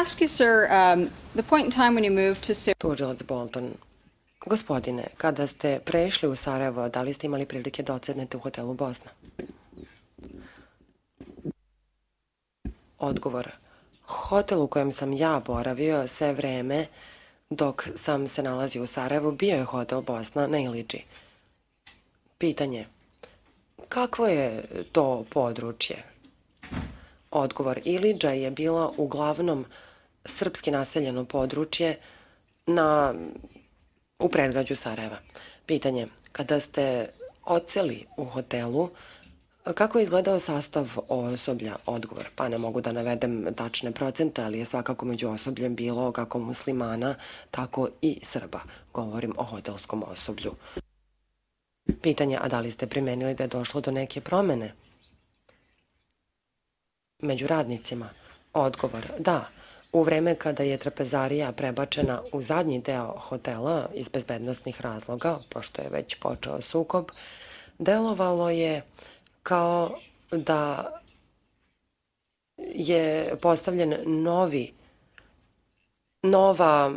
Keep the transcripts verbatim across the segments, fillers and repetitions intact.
ask you, sir, um, the point in time when you moved to Sarajevo... Tužilac Bolton. Gospodine, kada ste prešli u Sarajevo, da li ste imali prilike da odsednete u hotelu Bosna? Odgovor. Hotel u kojem sam ja boravio sve vreme dok sam se nalazio u Sarajevu bio je hotel Bosna na Iliđi. Pitanje. Kakvo je to područje? Odgovor. Iliđa je bila uglavnom srpski naseljeno područje na, u predgrađu Sarajeva. Pitanje. Kada ste odseli u hotelu, kako je izgledao sastav osoblja? Odgovor. Pa ne mogu da navedem tačne procente, ali je svakako među osobljem bilo kako muslimana, tako i Srba. Govorim o hotelskom osoblju. Pitanje, a da li ste primenili da je došlo do neke promene među radnicima? Odgovor, da. U vreme kada je trapezarija prebačena u zadnji deo hotela iz bezbednosnih razloga, pošto je već počeo sukob, delovalo je kao da je postavljen novi nova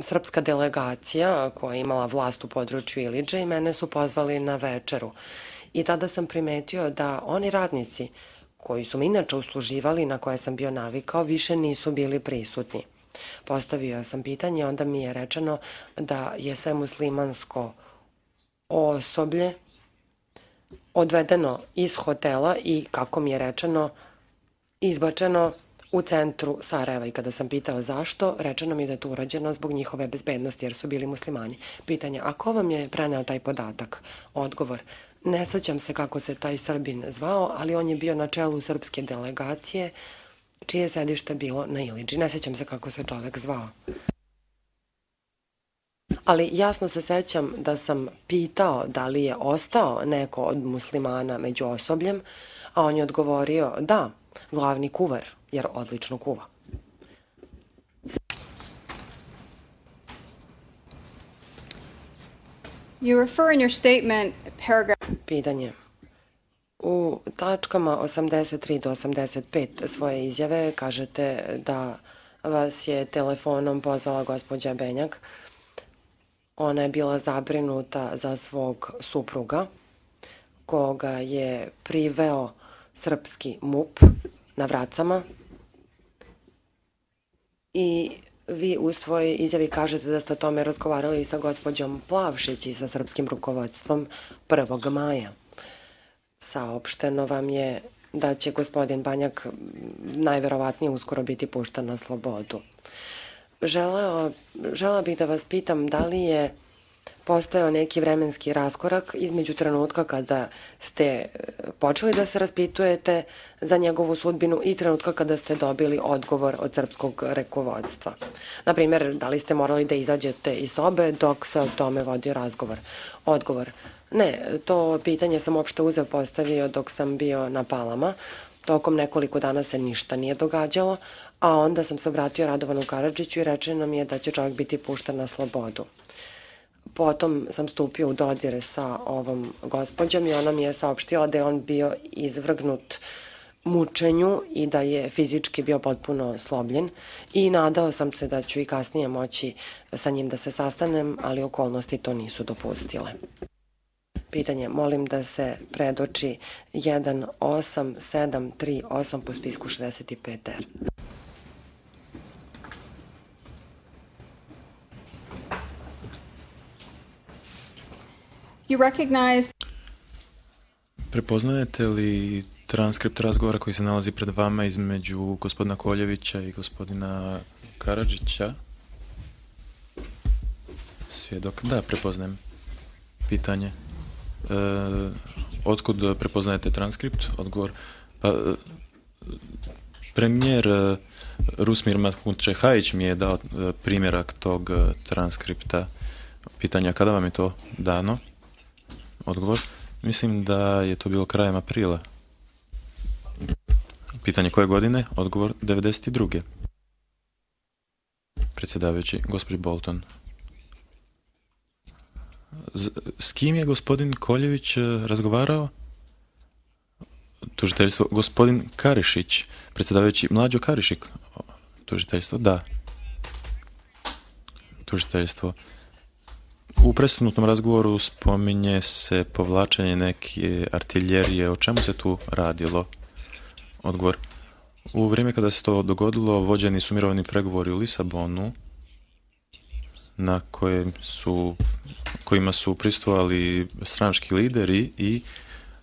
srpska delegacija koja je imala vlast u području Iliđe i mene su pozvali na večeru. I tada sam primetio da oni radnici koji su mi inače usluživali, na koje sam bio navikao, više nisu bili prisutni. Postavio sam pitanje, onda mi je rečeno da je sve muslimansko osoblje odvedeno iz hotela i, kako mi je rečeno, izbačeno u centru Sarajeva. I kada sam pitao zašto, rečeno mi da je to urađeno zbog njihove bezbednosti, jer su bili muslimani. Pitanje, a ko vam je preneo taj podatak? Odgovor, ne sjećam se kako se taj Srbin zvao, ali on je bio na čelu srpske delegacije, čije sedište bilo na Iliđi. Ne sjećam se kako se čovjek zvao. Ali jasno se sećam da sam pitao da li je ostao neko od muslimana među osobljem, a on je odgovorio da, glavni kuvar, jer odlično kuva. You refer in your statement, paragraph... Pitanje. U tačkama osamdeset tri do osamdeset pet svoje izjave kažete da vas je telefonom pozvala gospođa Benjak. Ona je bila zabrinuta za svog supruga, koga je priveo srpski MUP na Vracama. I vi u svojoj izjavi kažete da ste o tome razgovarali sa gospođom Plavšić i sa srpskim rukovodstvom prvog maja. Saopšteno vam je da će gospodin Banjak najverovatnije uskoro biti pušten na slobodu. Želeo, žela bih da vas pitam da li je postojao neki vremenski raskorak između trenutka kada ste počeli da se raspitujete za njegovu sudbinu i trenutka kada ste dobili odgovor od srpskog rukovodstva. Naprimjer, da li ste morali da izađete iz sobe dok se o tome vodio razgovor? Odgovor. Ne, to pitanje sam uopšte uzeo postavio dok sam bio na Palama. Tokom nekoliko dana se ništa nije događalo, a onda sam se obratio Radovanu Karadžiću i rečeno mi je da će čovjek biti pušten na slobodu. Potom sam stupio u dodir sa ovom gospođom i ona mi je saopštila da je on bio izvrgnut mučenju i da je fizički bio potpuno slobljen i nadao sam se da ću i kasnije moći sa njim da se sastanem, ali okolnosti to nisu dopustile. Pitanje, molim da se predoči jedan osam sedam tri osam po spisku šezdeset pet R. You recognize... Prepoznajete li transkript razgovora koji se nalazi pred vama između gospodina Koljevića i gospodina Karadžića? Svjedok. Da, prepoznajem. Pitanje. E, otkud prepoznajete transkript? Odgovor. Pa, premijer Rusmir Mahmudčehajić mi je dao primjerak tog transkripta. Pitanja, kada vam je to dano? Odgovor. Mislim da je to bilo krajem aprila. Pitanje koje godine? Odgovor devedeset druge. Predsjedavajući, gospođi Bolton. Z, s kim je gospodin Koljević razgovarao? Tužiteljstvo, gospodin Karišić. Predsjedavajući, Mlađo Karišik. Tužiteljstvo, da. Tužiteljstvo. U presudnutnom razgovoru spominje se povlačenje neke artiljerije. O čemu se tu radilo? Odgovor. U vrijeme kada se to dogodilo, vođeni su mirovni pregovori u Lisabonu, na kojem su, kojima su prisustvovali stranački lideri i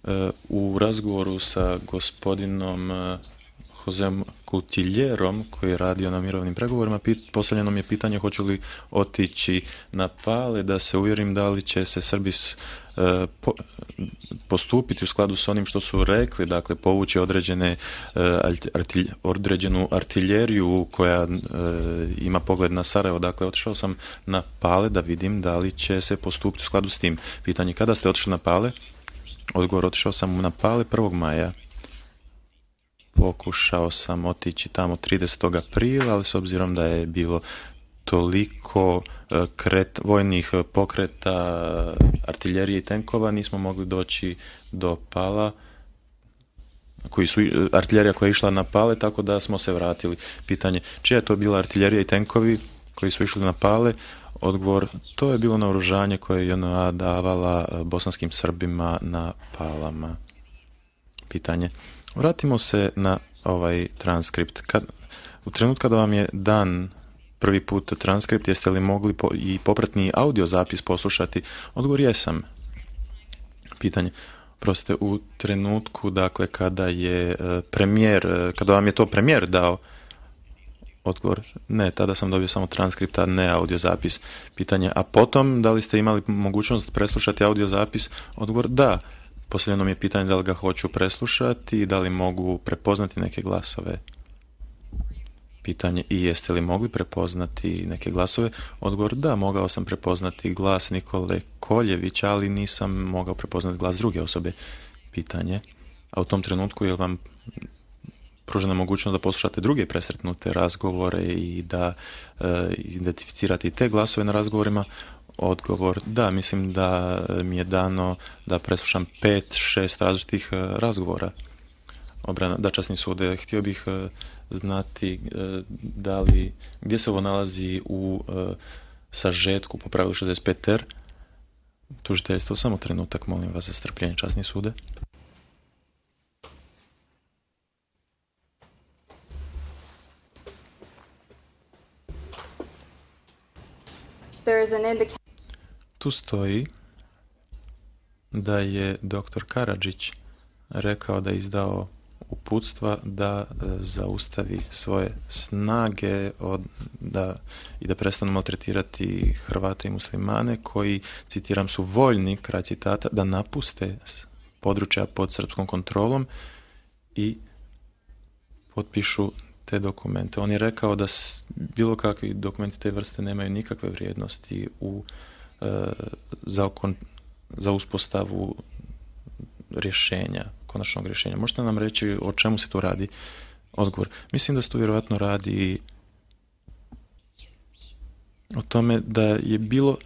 e, u razgovoru sa gospodinom e, Josem Coutiljerom, koji je radio na mirovnim pregovorima, postavljeno mi je pitanje hoću li otići na Pale da se uvjerim da li će se Srbi e, po, postupiti u skladu s onim što su rekli, dakle povući određene, e, artilj, određenu artiljeriju koja e, ima pogled na Sarajevo. Dakle, otišao sam na Pale da vidim da li će se postupiti u skladu s tim. Pitanje kada ste otišli na Pale? Odgovor, otišao sam na Pale prvog maja. Pokušao sam otići tamo tridesetog aprila, ali s obzirom da je bilo toliko kret, vojnih pokreta, artiljerije i tenkova, nismo mogli doći do Pala, koji su, artiljerija koja je išla na Pale, tako da smo se vratili. Pitanje, čija je to bila artiljerija i tenkovi koji su išli na Pale? Odgovor, to je bilo naoružanje koje je J N A davala bosanskim Srbima na Palama. Pitanje, vratimo se na ovaj transkript. Kad, u trenutku kada vam je dan prvi put transkript, jeste li mogli po, i popratni audio zapis poslušati? Odgovor, jesam. Pitanje, proste u trenutku, dakle, kada je premijer, kada vam je to premijer dao? Odgovor, ne, tada sam dobio samo transkript, a ne audio zapis. Pitanje, a potom, da li ste imali mogućnost preslušati audio zapis? Odgovor, da. Posljedno mi je pitanje da li ga hoću preslušati i da li mogu prepoznati neke glasove. Pitanje, i jeste li mogli prepoznati neke glasove? Odgovor, da, mogao sam prepoznati glas Nikole Koljevića, ali nisam mogao prepoznati glas druge osobe. Pitanje, a u tom trenutku je li vam pružena mogućnost da poslušate druge presretnute razgovore i da e, identificirate i te glasove na razgovorima? Odgovor, da, mislim da mi je dano da preslušam pet, šest različitih razgovora. Obrana, da, časni sude, htio bih znati da li, gdje se ovo nalazi u sažetku po pravilu šezdeset pet ter. Tužiteljstvo, samo trenutak, molim vas za strpljenje, časni sude. There is an indication. Tu stoji da je doktor Karadžić rekao da je izdao uputstva da zaustavi svoje snage od, da, i da prestanu maltretirati Hrvate i muslimane koji, citiram, su voljni, kraj citata, da napuste područja pod srpskom kontrolom i potpišu te dokumente. On je rekao da bilo kakvi dokumenti te vrste nemaju nikakve vrijednosti u, e, za, okon, za uspostavu rješenja, konačnog rješenja. Možete nam reći o čemu se tu radi? Odgovor. Mislim da se tu vjerojatno radi o tome da je bilo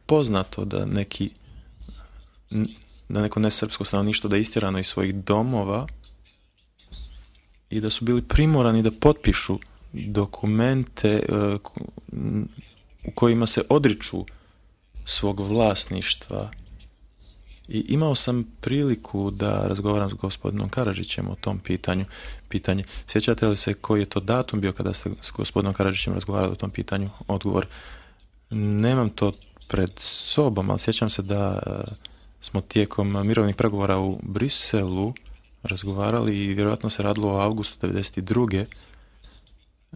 poznato da neki da neko nesrpsko stanovništvo da je istjerano iz svojih domova i da su bili primorani da potpišu dokumente u kojima se odriču svog vlasništva. I imao sam priliku da razgovaram s gospodinom Karadžićem o tom pitanju. Pitanje, sjećate li se koji je to datum bio kada ste s gospodinom Karadžićem razgovarali o tom pitanju? Odgovor, nemam to pred sobom, ali sjećam se da smo tijekom mirovnih pregovora u Briselu razgovarali i vjerojatno se radilo o avgustu devedeset druge.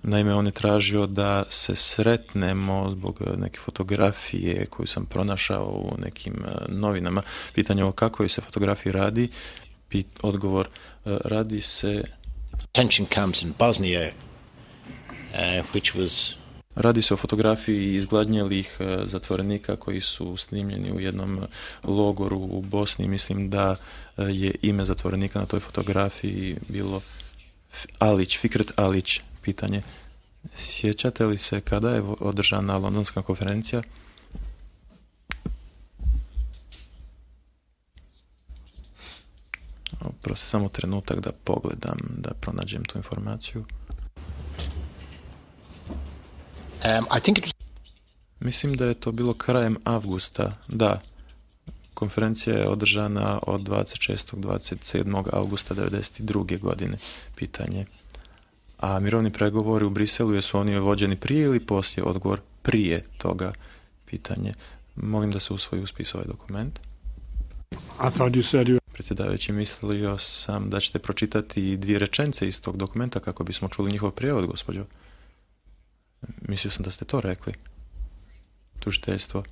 Naime, on je tražio da se sretnemo zbog neke fotografije koju sam pronašao u nekim novinama. Pitanje o kakvoj se fotografiji radi. Pit, odgovor, radi se... Detention camps in Bosnia, uh, which was... Radi se o fotografiji izgladnjelih zatvorenika koji su snimljeni u jednom logoru u Bosni. Mislim da je ime zatvorenika na toj fotografiji bilo Alić, Fikret Alić. Pitanje, sjećate li se kada je održana londonska konferencija? Prosto samo trenutak da pogledam, da pronađem tu informaciju. Um, I think it was Mislim da je to bilo krajem avgusta. Da, konferencija je održana od dvadeset šestog do dvadeset sedmog avgusta devedeset druge godine. Pitanje. A mirovni pregovori u Briselu, jesu oni vođeni prije ili poslije? Odgovor prije toga. Pitanje. Molim da se usvoji u spis ovaj dokument. I thought you said you... Predsjedavajući, mislio sam da ćete pročitati dvije rečenice iz tog dokumenta kako bismo čuli njihov prijevod, gospođo. Mislio sam da ste to rekli. Tužiteljstvo.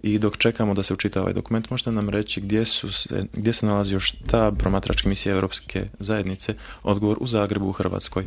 I dok čekamo da se učita ovaj dokument, možete nam reći gdje, su se, gdje se nalazi još štab promatračke misije Europske zajednice? Odgovor u Zagrebu u Hrvatskoj.